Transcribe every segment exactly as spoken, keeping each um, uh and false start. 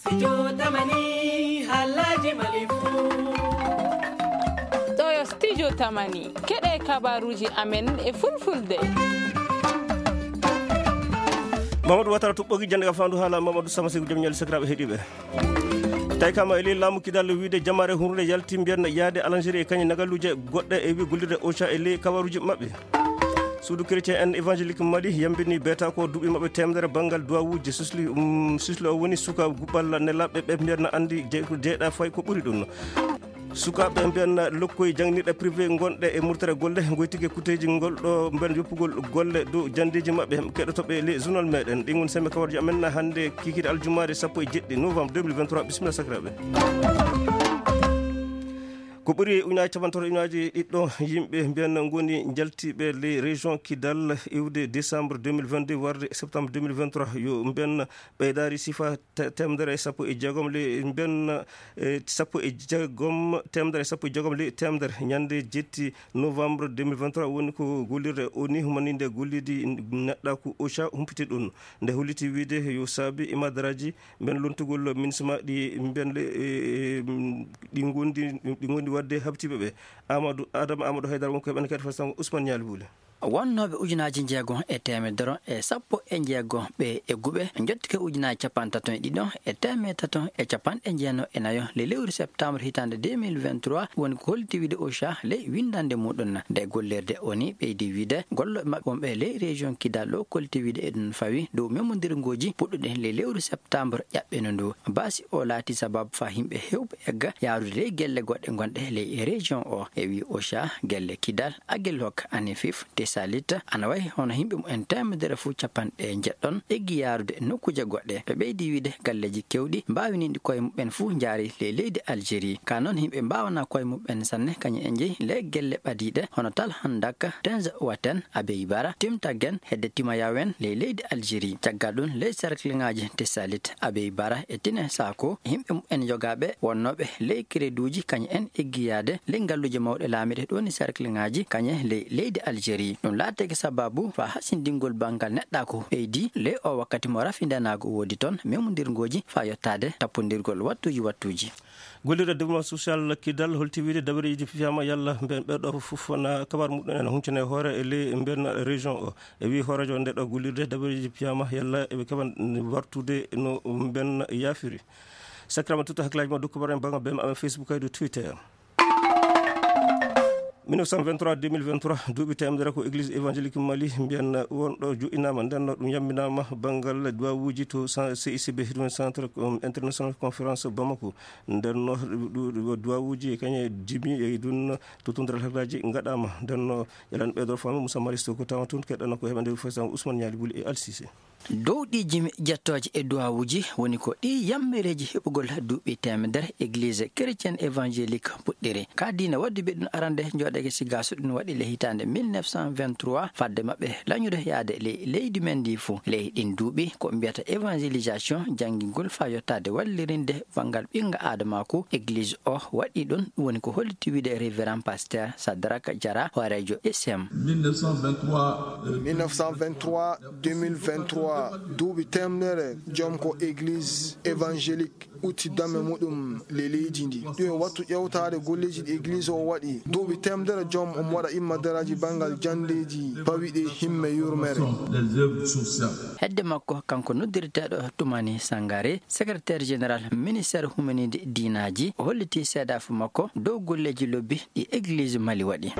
Studio Tamani, haalaaji Mali fuu. Ɗo yo Studio Tamani, keɗe kabaruuji amen e fulfulde. Mamadou Watara tuɓɓogi jannde ka faandu haala Mamadou Sama Segu jom ñaali sakiraaɓe heɗiiɓe. Tawi kama e ley laamu kidal wiide jamaare hunrude yalti mbiyan yaade Algérie e kañe nagaluuje goɗɗe e wi gollirde Ocha e ley kabaruuji maɓɓe. Suudu chrétien en évangélique Mali yambini beeta ko duuɓi maɓɓe teemedere banngal duwawuuji sisli, um, sisli o woni suka guɓal nelaɓɓe ɓe mbiyan anndi je-, jeeɗa fay ko ɓuri ɗum. Sukaaɓe mbiyan lokkoy janngirɗe privé ngonɗe e murtere golle ngoytike kuteeji ngol ɗo mbiyan yoppugol golle dow janndeeji maɓɓe keɗotoɓe le journal meɗen. Ɗin woni sembe kawarji amen hannde kikiiɗe aljumaare sappo e jeɗɗi novembre deux mille vingt-trois. Bisimilla sakiraaɓe. Ko ɓuri ujunaaji capanɗe tati ujunaaji ɗiɗɗo yimɓe mbiyan ngoni njaltiiɓe ley région Kidal iwde décembre deux mille vingt-deux warde septembre deux mille vingt-trois. Yo mbiyan ɓeydaari sifa te-, teemedere e sappo e jeegom ley mbiyan, e, sappo e jeegom, teemedere e sappo e jeegom ley teemedere. Ñande jetti novembre deux mille vingt-trois woni ko gollirde O N U humaninde golliidi neɗɗaaku Ocha humpiti ɗum. Nde holliti wiide yo saabi imadaraaji mbiyan lontugol MINUSMA ɗi mbiyan le-, e, e, ɗi ngondi, ɗi ngondi waɗde habtiiɓe ɓe. Amadou, Adama Amadou Haydara won ko heɓani kadi façon Ousmane Ñaali Buule. Wonnooɓe ujunaaji njeego e teemedere e sappo e njeego ɓe egguɓe njottike ujunaaji capanɗe tati e ɗiɗo e teemedde tati e capanɗe jeenayi e nayo le lewru septembre hitaande deux mille vingt-trois woni ko holliti wiide Ocha ley winndannde muɗum. Nde gollirde O N U ɓeydi wiide gollooɓe maɓɓe wonɓe ley région Kidal o kolliti wiide eɗum fawi dow memmondirngooji puɗɗuɗe ley lewru septembre ƴaɓɓeno ndu. Baasi o laati sababu faa yimɓe heewɓe egga yaarude ley gelle goɗɗe gonɗe ley région o. E wi Ocha, gelle Kidal, Aguelhok, Anefif, Tessalit, ana wayi hono yimɓe mumen teemedere fof capanɗe njeɗɗon eggi yaarude nokkuuje goɗɗe. Ɓe ɓeydi wiide galleeji keewɗi mbaawiniiɗi koye mumen fof njaari ley leydi Algérie. Ka noon yimɓe mbaawanaa koye mumen sanne kañum en njehi ley gelle ɓadiiɗe hono Tal Handak, Tenza Waten, Abeybara, Timtagen, hedde Timayawen ley leydi Algérie. Caggal ɗum, ley cercle ŋaaji Tessalit, Abeybara e Tine Sako, yimɓe mumen yogaaɓe wonnooɓe ley crédit uji kañum en eggi yaade ley ngalluuje mawɗe laamiiɗe ɗo woni cercle ŋaaji kañe ley leydi Algérie. Ɗum laatake sababu faa hasindingol banngal neɗɗaaku ɓeydi ley o wakkati mo rafindanaagu woodi toon, memondirngooji faa yottaade tappondirgol wattuuji wattuuji. Gollirde développement social Kidal holti wiide dabareeji fiyaama yalla mben ɓeɗo fof na kabar muɗum en huncana e hoore e ley mben région o. E wi hoorejo nde ɗo gollirde dabareeji fiyaama yalla eɓe keɓa wartude no mben yaafiri. Sakirama tuta hakkilaaji ma dokku bar en banngal B M A Facebook kaydu Twitter. Mille neuf cent vingt-trois deux mille vingt-trois, duuɓi teemedere ko Église Évangélique Mali mbiyan wonɗo joɗɗinaama, nden no ɗum yamminaama banngal duwawuuji to sa-, C I C B, ɗum Centre, um, International Conférence Bamako. Nden no ɗu-, ɗu-, duwawuuji e kañe jimi e ɗum to tundral hakkilaaji ngaɗaama. Nden no yalan ɓeydo fami Moussa Maris to ko tawa toon keɗɗano ko heɓande président Ousmane Niali Bouli e Al Cissé. Dow ɗi jimi jettooje e duwawuuji woni ko ɗi yammereeji heɓugol duuɓi teemedere Église chrétienne évangélique puɗɗiri. Ka diina wadduɓe ɗum arande jooɗeeke Sigaso ɗum waɗi le hitaande mille neuf cent vingt-trois, fadde maɓɓe lañude yaade ley leydi men ndi fof. Ley ɗin duuɓi ko mbiyata évangélisation, janngingol faa yottaade wallirinde banngal ɓinnga aadamaaku, Église o waɗi ɗum. Ɗum woni ko holliti wiide Révérend Pasteur Sadraka Diarra, hooreejo S M. Mille neuf cent vingt-trois, euh, mille neuf cent vingt-trois, deux mille vingt-trois, duuɓi teemedere joom ko Église évangélique utti dame muɗum le leydi ndi. Ɗum e wattu ƴewtaade golleeji ɗi Église o waɗi. Duuɓi teemedere joom omo waɗa immadaraaji banngal janndeeji pawiɗe himme yurmere. Les œuvres sociales. Hedde makko, kanko noddirteeɗo Toumani Sangaré, secrétaire général ministère humanide diinaaji, o holliti seedaafu makko dow golleeji lobbi ɗi Église Mali waɗi.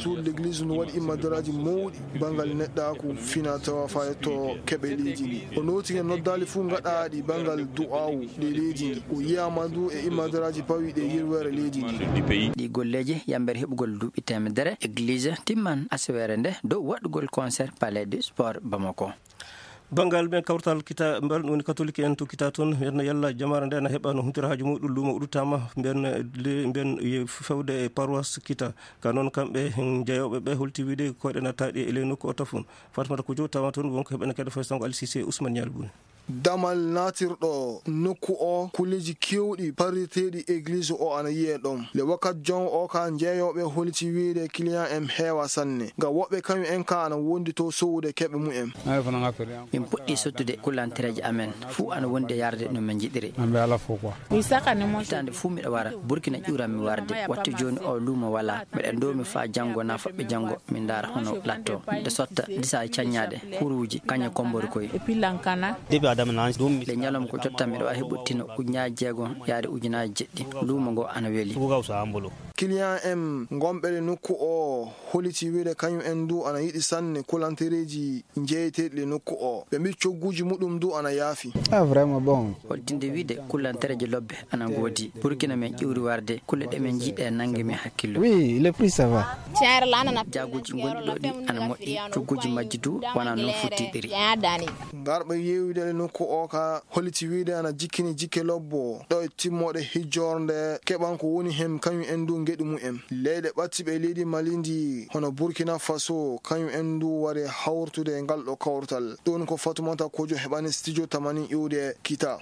Suudu L'église no waɗi immadaraaji mawɗi banngal neɗɗaaku, fina tawa faa yetto keɓe leydi ndi. O nooti e noddaali fuu ngaɗaaɗi banngal du'aawu ɗe leydi ndi. O yiyaama ndu e immadaraaji pawiɗe yirwere leydi ndi. Ɗi golleeji yammbere heɓugol duuɓi teemedere, Église timman aseweere nde dow waɗugol concert Palais du Sport Bamako. Banngal ɓen kawtal kita, mbal woni katolike en to kita toon, ɓen no yalla jamaare nde na heɓa no huntira haaju muɗum, luumo udditaama, mben le-, mben ye fewde e paroisse kita. Ka noon kamɓe jeyooɓe ɓe holti wiide koyɗe nattaaɗi e ley nokku o tafun. Fatmata Kojo tawa toon, wonko heɓene kadi faysango Al Cissé Ousmane Nial Boun. Damal naatirɗo nokku o, kulleeji keewɗi parriteeɗi egliis o ana yiyee ɗon. Le wakat jon o ka, jeeyooɓe holiti wiyde client en heewa sanne. Nga woɓɓe kañum en ka ana wondi to sowude keɓe mumen. Min puɗɗi sottude kullantereeje amen, fuu ana wondi e yarde no min njiɗiri. Hitaande fuu miɗo wara, Burkina ƴuuran mi warde. Wattu jooni o luumo walaa. Miɗo ndoomi faa janngo naa faɓɓi janngo, min ndaara hono latto. Miɗo sotta disa e caññaaɗe, kuruuji, kañe kombori koy. Le ñalawma ko jotta miɗo waawi heɓude tino ujunaaji jeego yaade ujunaaji jeɗɗi. Luumo ngo ana weli. Client en gonɓe le nokku o holiti wiyde kañum en du ana yiɗi sanne kulantereeji jeeyeteeɗi le nokku o. Ɓe mbi cogguuji muɗum du ana yaafi. Ah, vraiment bon. Holtinde wiyde kulantereeje lobbe ana ngoodi. Burkina men ƴuuri warde, kulle ɗe men njiɗe nanngi men hakkillo. Oui, le prix ça va. Jaaguuji gonɗi ɗo ɗi ana moƴƴi, cogguuji majji du wonaa non fottiɗiri. Ngarɓe yeewude le nokku o ka holiti wiyde ana jikkini jikke lobbo ɗo e timmoɗe hijjorde keɓan ko woni hen kañum en du ngeɗu mumen. Leyɗe ɓattiɓe e leydi Mali ndi hono Burkina Faso, kañum en du wari hawrtude e ngal ɗo kawrtal. Ɗum ko Fatumata Kojo heɓani studio Tamani iwde Kita.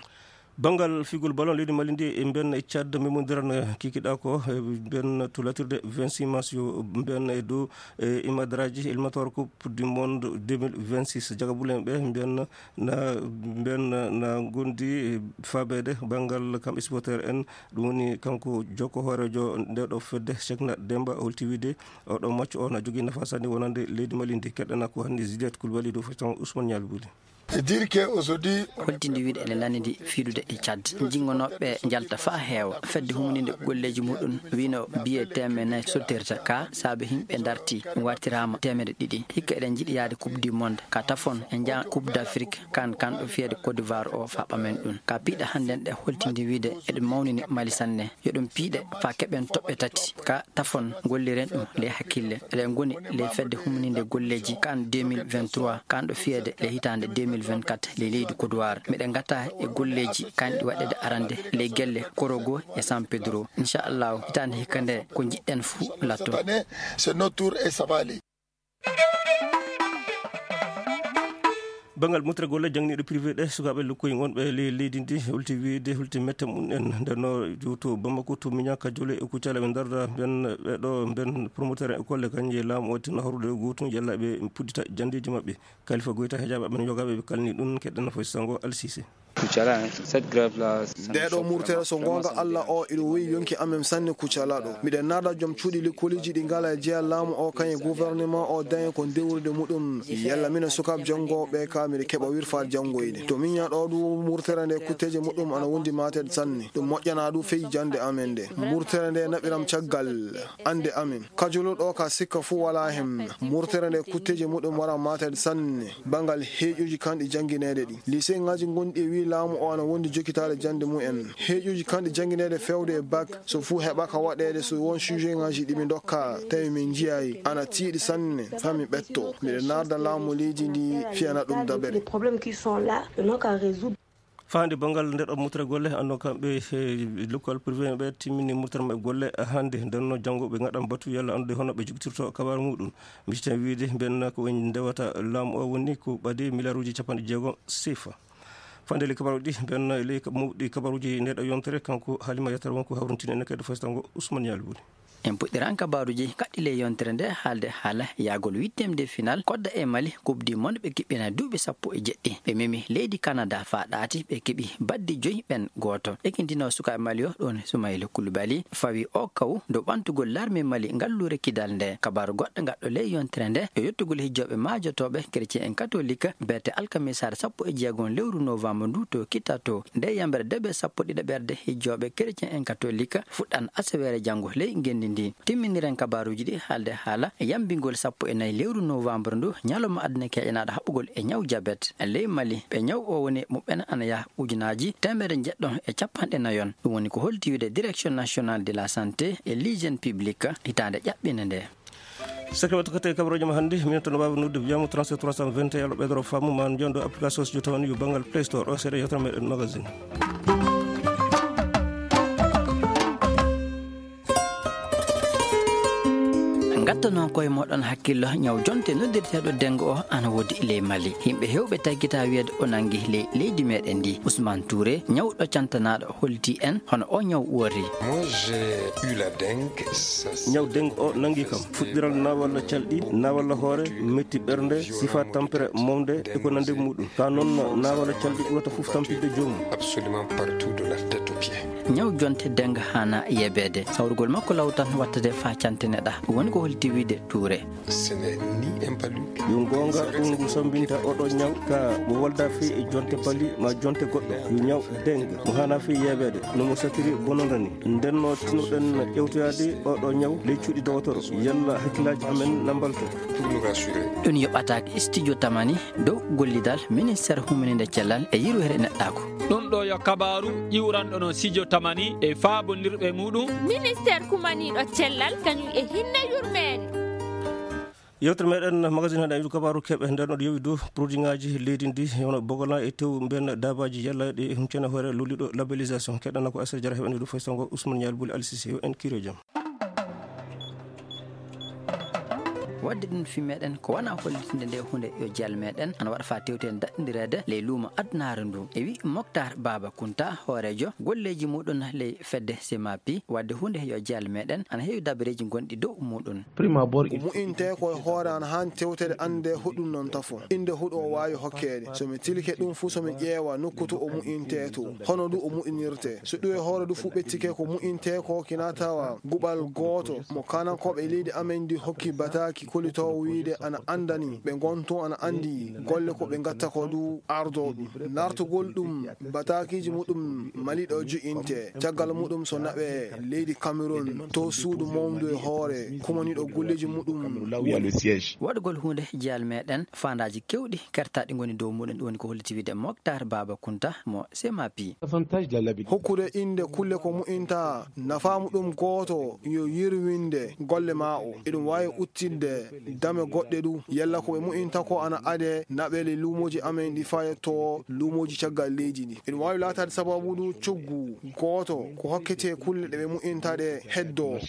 Banngal figol ballon leydi Mali ndi e mben e Tchad memondiran kikiɗa ko e mben tulatirde vingt-six mars yo mben e dow e imadraji éliminatoire Coupe du Monde deux mille vingt-six. Jagabulen ɓe mben na, mben na gondi e fabeede banngal kam supporter en. Ɗum woni kanko jokko hoorejo nde ɗo fedde Cheikhna Demba holti wiyde oɗo match o na jogii nafa sanne wonande leydi Mali ndi. Keɗɗana ko hanni Juliette Koulibaly dow feccan Ousmane Nialbouly. E dire que aujourd'hui, holtinde wiyde ene lanndi fiidude e Tchad. Jinngonooɓe njalta faa heewa. Fedde humninde golleeji muɗum wino biye teemeɗe nayi sottirta ka saabe yimɓe darti wartiraama teemeɗe ɗiɗi. Hikka eɗen njiɗi yaade Coupe du Monde ka tafon e njaa Coupe d'Afrique kan kan ɗo fiyeede Côte d'Ivoire o faa ɓamen ɗum. Ka piiɗe hannden ɗe holtinde wiyde eɗen mawnini Mali sanne. Yo ɗum piiɗe faa keɓen toɓɓe tati. Ka tafon golliren ɗum ley hakkille. Eɗen ngoni ley fedde humninde golleeji kan deux mille vingt-trois, kan ɗo fiyeede ley hitaande deux mille vingt-quatre ley leydi Kodowar. Miɗen ngata e golleeji kan ɗi waɗeede arande ley gelle Korogo e San Pedro. Inchallahu, hitaande hikka nde ko njiɗɗen fuu latto. Cette année, c'est notre tour et ça va aller. Banngal murtere golle jangniiɗo privé ɗe sukaaɓe lokkoyi wonɓe ley leydi ndi holti wiyde holti mette mum en ndenno to Bamako to Miña Kajole e Kucala ɓe darda ben ɓe ɗo ben promoteur école kañje laamu o tinno horude gootum yalla ɓe puddita janndeeji maɓɓe. Kalifa Goyta hejaaɓe amen yogaaɓe ɓe kalni ɗum keɗɗen foy sango Alsise. Kucala, hein. Cette grève-là, ça me choque vraiment. Ndeɗo murtere so gonga Allah o iɗo weyi yonki amen sanne Kucala ɗo. Miɗen naada joom cuuɗi lekkooliji ɗi ngala e jeya laamu o kañe gouvernement o dañe ko dewrude muɗum. Yalla mino sukaaɓe janngoɓe ka miɗo keɓa wirfaade janngoyde. To miña ɗo du murtere nde kutteje muɗum ana wondi mateede sanne. Ɗum moƴƴana du feyi jannde amen nde. Murtere nde naɓiram caggal ande amen. Kajolo ɗo ka sikka fuu walaa hen. Murtere nde kutteeje muɗum wara mateede sanne banngal heeƴuuji kanɗi janngineede ɗi. Liseŋaaji gonɗi e wii laamu o ana wondi jokitaade jannde mumen. Heeƴuuji kanɗi janngineede feewde e bak so fuu heɓaka waɗeede so won sujetŋaaji ɗi mi ndokka tawi min njiyaay ana tiiɗi sanne faa mi ɓetto. Miɗo naarda laamu leydi ndi fiyana ɗum dabere. Faande banngal nde ɗo murtere golle, anndo kamɓe, eh, lokkal privé ɓe timmini murtere maɓɓe golle hannde. Nden noon janngo ɓe ngaɗan batu yalla anndude hono ɓe jogitirto kabaru muɗum. Misitan wiide mben ko en ndewata laamu o woni ko ɓadi miliyaaruuji capanɗe jeego sefa. Faande le kabaruuji ɗi, mben le mawɗi kabaruuji nde ɗo yontere, kanko Halima Yatara wonko hawrintini en kadi faytango Ousmane Yalbuli. En puɗɗiran kabaaruuji kaɗɗi ley yontere nde haalde haala yahgol huitième de finale Kodda e Mali Coupe du Monde ɓe kiɓɓina duuɓi sappo e jeɗɗi. Ɓe memi leydi Canada faa ɗaati ɓe keɓi baddi joyi ɓen gooto. Ekintino sukaaɓe Mali o ɗon Soumaïla Koulibaly fawi o kaw dow ɓantugol larme Mali ngalluure kidal nde. Kabaaru goɗɗo ngaɗɗo ley yontere nde yo yottugol hijjooɓe maajotooɓe chrétien en katolik beete alkamisaare sappo e jeegom lewru novembre ndu to Kitato. Nde yamere debe sappo ɗiɗaɓerde hijjooɓe chrétien en katolik fuɗɗan asaweere janngo ley ngenndi ndi. Timminiren kabaaruuji ɗi haalde haala yambingol sappo e nayi lewru novembre ndu, ñalawma aduna keƴanaaɗo haɓugol e ñaw jabet. Ley Mali, ɓe ñaw o woni muɓɓen ana yaha ujunaaji teemedere njeɗɗo e capanɗe nayon. Ɗum woni ko holti wiide Direction Nationale de la Santé et l'Hygiène Publique hitaande ƴaɓɓinde nde. Sakre watta kate kabaruuji ma hannde, minen tan no waawi noddude wiyama trente-sept trois cent vingt et un, ɓeydoro faamu ma jondo application so jotawan yo banngal Play Store o seeɗa yewtere meɗen magazine. Ɓeydoton koye mooɗon hakkillo, ñaw jonte noddirteeɗo dengue o ana woodi ley Mali. Yimɓe heewɓe taggitaa wiyeede o nanngi ley leydi meeɗen ndi. Ousmane Touré, ñawɗo cantanaaɗo, holliti en hono o ñaw woori. Moi, j'ai eu la dengue. Ça, c'est... Ñaw dengue o nanngi kam. Fuɗɗiral naawalla calɗi, naawalla hoore, metti ɓernde, sifa tampere mawde e ko nandi e muɗum. Ka noon naawalla calɗi ɓurata fof tampinde joomum. Absolument partout de la tête aux pieds. Ñaw jonte dengue haana yeebeede. Sawrugol makko law tan wattade faa cantineɗaa. Ɗum woni ko holliti wiide Touré. Ce n'est ni un palu. Yo goonga, ɗum ngu sammbinta oɗo ñaw ka mo walda fii e jonte pali ma jonte goɗɗo. Yo ñaw dengue mo haana fii yeebeede. No mo satiri bononda ni. Ndenno tinnoɗen ƴewtoyaade oɗo ñaw ley cuuɗi dowotoro. Yalla hakkillaaji amen na mbalto. Pour nous rassurer. Ɗum yoɓataake Studio Tamani dow gollidal ministeer humininde cellal e yirwere neɗɗaaku. Ɗum ɗo yo kabaaru iwranɗo no Studio Tamani e faabondirɓe muɗum. Ministeer kumaniiɗo cellal kañum e hinne yurmeende. Yewtere meɗen magazine haɗa yiɗu kabaaru keɓe nder no yowi dow produit ngaji leydi ndi, hono bogolan e tew mben dabaji yalla ɗe huncene hoore lolliɗo labellisation. Keɗana ko Aissata Diarra heɓani ɗum faysango Ousmane Nial Bouli Alsisi yo en kiro jam. Waɗde ɗum fi meɗen ko wona hollitinde nde hunde yo jeyal meɗen ana waɗa fa tewte en daɗɗindireede ley luumo adunaaru ndu. E wi Moctar Baba Kunta, hooreejo golleeji muɗum ley fedde Semapi, waɗde hunde yo jeyal meɗen ana heewi dabareeji gonɗi dow muɗum. Prima bor ko mu'inte ko e hoore an han tewtere annde huɗum non tafo. Innde huɗo o waawi hokkeede. So mi tilke ɗum fuu, so mi ƴeewa nokku to o mu'inte to, hono ɗum o mu'inirte. So ɗum e hoore ɗum fuu ɓettike ko mu'inte ko kina tawa guɓal gooto mo kanankooɓe leydi amen ndi hokki bataaki kolitoowo wiide ana anndani ɓe ngon tun ana anndi golle ko ɓe ngatta ko ɗum ardo ɗum. Nartugol ɗum batakiiji muɗum Mali ɗo jo'inte. Caggal muɗum so naɓe leydi Cameroun to suudu mawndu e hoore kumaniiɗo golleeji muɗum. Waɗugol huunde jeyal meɗen faandaaji kewɗi kertaaɗi ngoni dow muɗum, ɗum woni ko holliti wiide Moctar Baba Kunta mo Semapi. Hokkude innde kulle ko mu'inta nafaa muɗum gooto yo yirwinde golle ma o. Eɗum waawi uttinde dame goɗɗe du. Yalla ko ɓe mu'inta ko ana ade naɓele luumooji amen ɗi faya to luumooji caggal leydi ndi. Eɗum waawi laataade sababu du coggu gooto ko hokkete kulle ɗe ɓe mu'inta ɗe heddo.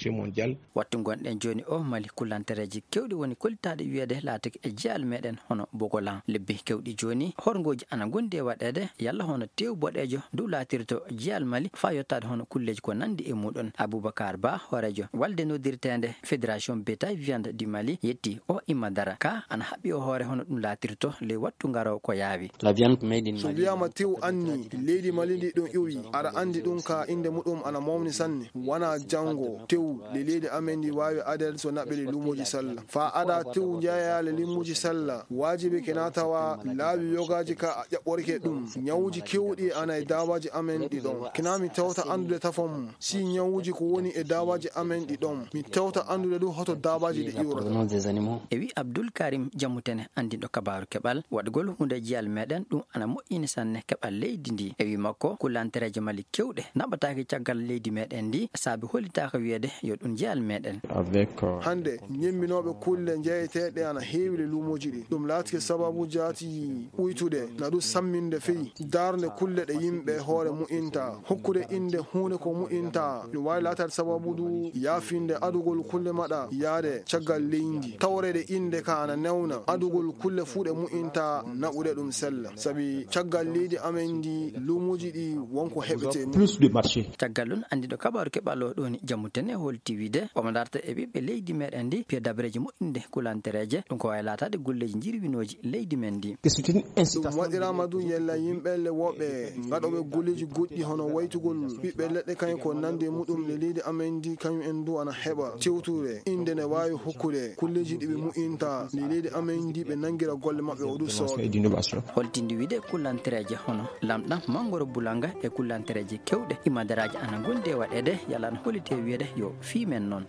Wattu ngonɗen jooni o Mali, kullantereeji kewɗi woni kollitaaɗi wiyeede laatike e jeyal meɗen hono Bogolan. Lebbi kewɗi jooni, horngooji ana ngondi e waɗeede, yalla hono teewu boɗeejo du laatirto jeyal Mali faa yottaade hono kulleeji ko nandi e muɗum. Aboubacar Ba, hooreejo walde noddirteende Fédération Bétail Viande du Mali, yetti o Imma Dara ka ana haɓɓi o hoore hono ɗum laatirto ley wattu ngaroowo ko yaawi. La viande made in So Mali. Wiyaama tew anni leydi Mali ndi ɗum ƴuwi, aɗa anndi ɗum ka innde muɗum ana mawni sanne. Wona janngo tew le leydi amen ndi waawi adeede so naɓɓele luumoji sella. Faa ada tew njeeya le luumoji sella, waajibi kina tawa laawi yogaaji ka a ƴaɓɓorike ɗum. Ñawuji kewɗi ana e daabaaji amen ɗi ɗon. Kina mi tewta anndude tafo mum, si ñawuji ko woni e daabaaji amen ɗi ɗon. Mi tewta anndude ɗum hoto daabaaji ɗi iwrata. E wi Abdoul Karim Jamutene, anndinɗo kabaaru keɓal, waɗugol huunde jiyal meɗen ɗum ana moƴƴini sanne keɓal leydi ndi. E wi makko, kulantereeje Mali kewɗe naɓataake caggal leydi meɗen ndi, saabi hollitaaka wiyeede yo ɗum jeyal meɗen. Avec, euh, Hannde, ñemminooɓe kulle njeyeteeɗe ana heewi le luumooji ɗi. Ɗum laatike sababu jaati ɓuytude, na ɗum samminde fii darnde kulle ɗe yimɓe hoore mu'inta, hokkude innde huunde ko mu'inta. Ɗum waawi laataade sababu du yaafinde adugol kulle maɗa yaade caggal leydi. Tawreede innde ka ana newna adugol kulle fuu ɗe mu'inta naɓude ɗum sella. Sabi caggal leydi amen ndi, luumooji ɗi wonko heɓete mum. Plus de marché. Caggal ɗum, anndiɗo kabaaru keɓal o ɗoni Jammu Tene holti wiide omo darta e ɓiɓɓe leydi meɗen ndi piya dabareeji moƴƴinde kulantereeje. Ɗum ko waawi laataade golleeji jirwinooji leydi men ndi. Ɗum waɗiraama du yella yimɓe le woɓɓe ngaɗooɓe golleeji goɗɗi hono waytugol ɓiɓɓe leɗɗe kañum ko nandi e muɗum le leydi amen ndi kañum en du ana heɓa tewtude innde ne waawi hokkude golleeji ɗi ɓe mu'inta le leydi amen ndi ɓe nanngira golle maɓɓe o du sooɓe. Holtindi wiide kulantereeje hono lamɗam, manngoro bulanga e kulantereeje kewɗe imadaraaji ana ngondi e waɗeede yalla ana holliti wiyeede yo fii men noon.